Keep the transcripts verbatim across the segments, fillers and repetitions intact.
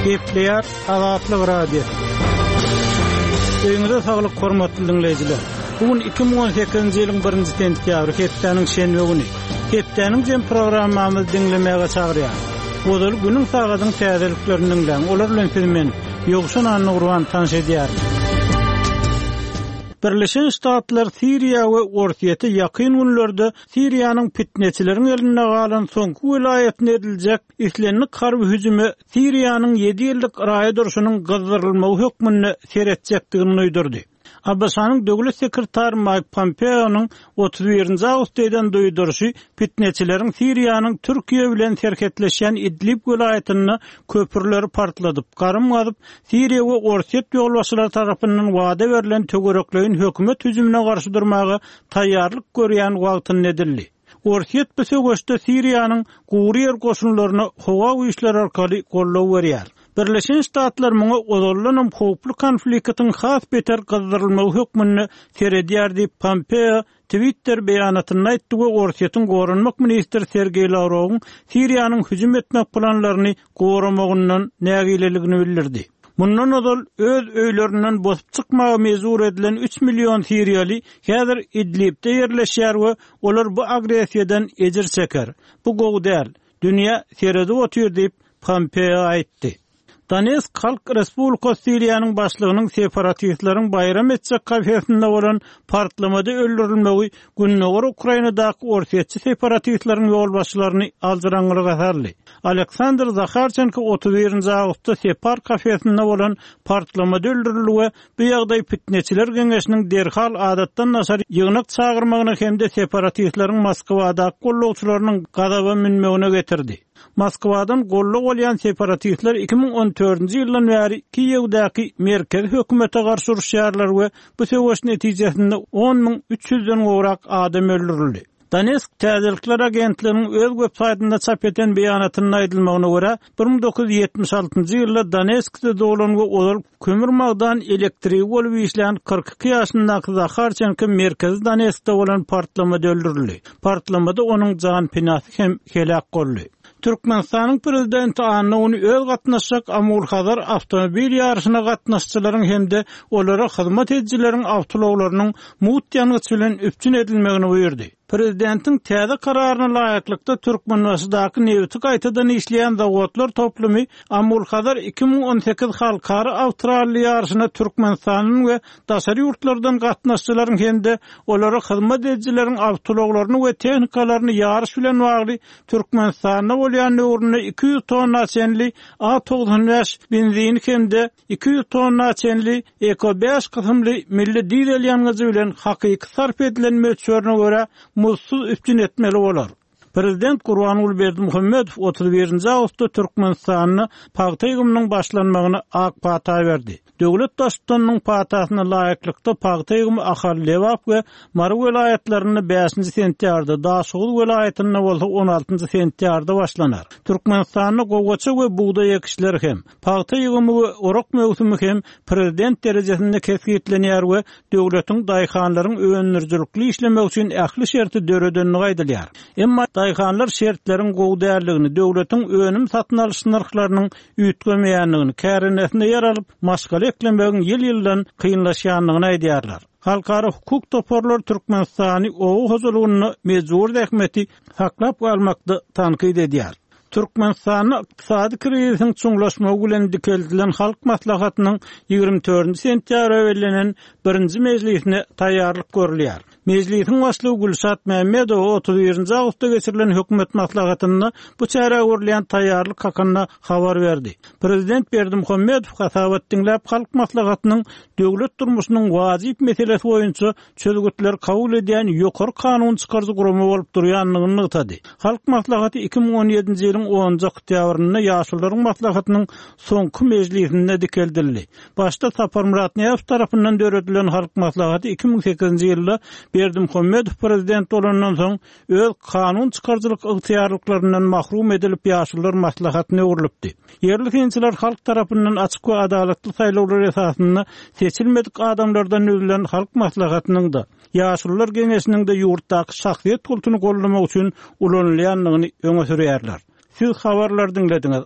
Gepleýär Azatlyk Radiosy. Öýüňize saglyk hormatly dinleýjiler. Bu gün iki müň on sekizinji ýylyň birinji sentýabry, hepdäniň şenbe güni. Hepdäniň jem programmamyzy diňlemäge çagyrýar. Ozal günüň sagadyň täzeliklerini diňläň. Olar bilen siz men Ýowşan Annagurban tanyş edýärin. Birleşen Ştatlar Siriýa we Orsýete ýakyn günlerde Siriýanyň fitneçileriň elinde galan soňky welaýatyna ediljek islendik harby hüjüme Siriýanyň ýedi ýyllyk raýat urşunyň gyzdyrylmagy hökmünde seretjekdigini duýdurdy. A B Ş-nyň döwlet sekretary Mike Pompeo'nyň otuz birinji awgustda eden duýduryşy fitneçileriň Siriýanyň Türkiýe bilen serhetleşýän Idlib welaýatynda köprüleri partladyp, garym gazyp, Siriýa we Orsýet ýolbaşçylary tarapyndan wada berlen töwerekleýin hökümet hüjümine garşy durmaga taýýarlyk görýän wagtynda edildi. Orsýet bu söweşde Siriýanyň gury ýer goşunlaryna howa güýçleri arkaly goldaw berýär. Birleşen Ştatlar muňa ozaldanam howply konfliktiň has beter gyzdyrylmagy hökmünde seredýär diýip Pompeo Twitter beýanatynda aýtdy we Orsýetiň goranmak ministri Sergeý Lawrowyň Siriýanyň hüjüm etmek planlaryny goramagyndan nägileligini bildirdi. Mundan ozal öz öýlerinden bosup çykmaga mejbur edilen üç million Siriýaly häzir Idlibde ýerleşýär we olar bu agressiýadan ejir çeker. Bu gowy däl. Dünýä seredip otyr diýip Pompeo aýtdy. Donetsk Halk Respublikasy Siriýanyň başlygynyň separatistleriň baýram etjek kafesinde bolan partlamada öldürilmegi Gündogar Ukrainadaky orsýetçi separatistleriň ýolbaşçylaryny aljyraňňylyga saldy. Aleksandr Zaharçenko otuz birinji awgustda Separ kafesinde bolan partlamada öldürildi we bu ýagdaý fitneçiler geňeşiniň derhal adatdan daşary ýygnak çagyrmagyna hem-de separatistleriň Moskwadaky gollagçylarynyň gazaba münmegine getirdi. Moskwadan gollag bolýan separatistler iki müň on dördünji ýyldan bäri Kiýewdäki merkezi hökümete garşy uruşýarlar we bu söweş netijesinde on müň üç ýüzden gowrak adam öldürildi. Donetsk Täzelikler agentliginiň öz web saýtynda çap eden beýanatynda aýdylmagyna görä, bir müň dokuz ýüz ýetmiş altynjy ýylda Donetskde doglan we ozal kömür magdan elektrigi bolup işlän kyrk iki ýaşyndaky Zaharçenko merkezi Donetskde bolan partlamada öldürildi. Partlamada onuň jan penasy hem helak boldy. Türkmenistanyň prezidenti Anna ony öz gatnaşjak Amul-Hazar awtomobil ýaryşyna gatnaşyjylaryň hem-de olara hyzmat edijileriň awtoulaglarynyň mugt ýangyç bilen üpjün edilmegini buýurdy. Prezidentiň täze kararyna laýyklykda Türkmenbaşydaky nebiti gaýtadan işleýän zawodlar toplumy Amul-Hazar iki müň on sekiz halkara awtoralli ýaryşyna Türkmenistanyň we daşary ýurtlardan gatnaşyjylaryň hem-de olara hyzmat edijileriň awtoulaglaryny we tehnikalaryny ýaryş bilen bagly Türkmenistanda bolýan döwründe iki ýüz tonna çenli A togsan bäş benzini hem-de iki ýüz tonna çenli Eko bäş kysymly milli dizel ýangyjy bilen hakyky sarp edilen möçberine görä muzdsuz üpjün etmeli bolar. Prezident Gurbanguly Berdimuhamedow otuz birinji awgustda Türkmenistanda pagta ýygymynyň başlanmagyna ak pata berdi. Döwlet baştutanynyň patasyna laýyklykda pagta ýygymy Ahal, Lebap we Mary welaýatlarynda bäşinji sentýabrda, Daşoguz welaýatynda bolsa on altynjy sentýabrda başlanar. Türkmenistanda gowaça we bugdaý ekişleri hem, pagta ýygymy we orak möwsümi hem prezident derejesinde kesgitlenýär we döwletiň daýhanlaryň öndürijilikli işlemek üçin ähli şerti döredenligi aýdylýar. Emma daýhanlar şertleriň gowy däldigini, döwletiň önüm satyn alyş nyrhlarynyň üýtgemeýändigini, kärenesinde ýer alyp, maşgala eklemegiň ýyl-ýyldan kynlaşýandygyny aýdýarlar. Halkara hukuk toparlary Türkmenistany oba hojalygynda mejbur zähmeti saklap galmakda tankyt edýär. Türkmenistanda ykdysady krizisiň çuňlaşmagy bilen dikeldilen Halk Maslahatynyň ýigrimi dördünji sentýabra bellenen birinji mejlisine taýýarlyk görülýär. Mejlisiň başlygy Gülşat Mämmedowa otuz birinji awgustda geçirilen hökümet maslahatynda bu çärä görülýän taýýarlyk hakynda habar berdi. Prezident Berdimuhamedow hasabat diňläp Halk Maslahatynyň döwlet durmuşynyň wajyp meselesi boýunça çözgütler kabul edýän ýokary kanun çykaryjy gurama bolup durýandygyny nygtady. Halk Maslahaty iki müň on ýedinji ýylyň onunjy oktýabrynda Ýaşulularyň Maslahatynyň soňky mejlisinde dikeldildi. Başda Saparmyrat Nyýazow tarapyndan döredilen Halk Maslahaty iki müň sekizinji ýylda Berdimuhamedow prezident bolandan soň öz kanun çykaryjylyk ygtyýarlyklaryndan mahrum edilip Ýaşulular Maslahatyna öwrülipdi. Ýerli synçylar halk tarapyndan açyk we adalatly saýlawlar esasynda seçilmedik adamlardan düzülen Halk Maslahatynyň da Ýaşulular Geňeşiniň de ýurtdaky şahsyýet kultuny gollamak üçin ulanylýandygyny öňe sürýärler. Siz habarlar diňlediňiz.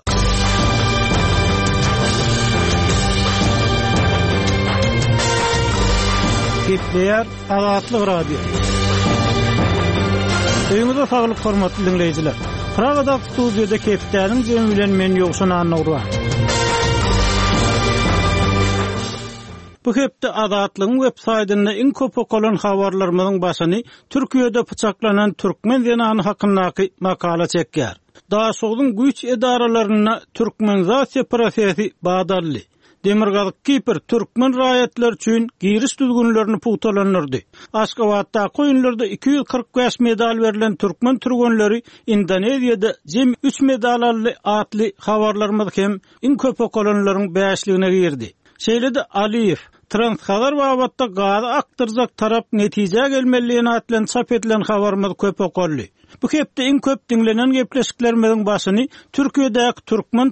Gepleýär Azatlyk Radiosy. Öýüňize saglyk hormatly diňleýjiler. Pragadaky studiýada hepdäniň jemi bilen men Ýowşan Annagurban. Bu hepde Azatlygyň web saýtynda iň köp okalan habarlarymyzyň başyny Türkiýede pyçaklanan türkmen zenany hakyndaky makala çekýär. Daşogzuň güýç edaralarynda türkmenizasiýa prosesi bat aldy. Demirgazyk Kipr türkmen raýatlary üçin giriş düzgünlerini pugtalandyrdy. Aşgabatdaky oýunlarda iki ýüz kyrk bäş medal berlen türkmen türgenleri Indoneziýada jemi üç medal aldy atly habarlarymyz hem iň köp okalanlaryň bäşligine girdi. Şeýle-de Aliýew, Transhazar babatda gazy akdyrjak tarap netijä gelmeli diýen at bilen çap edilen habarymyz köp okaldy. Bu hepde iň köp diňlenen gepleşiklerimiziň başyny Türkiýedäki türkmen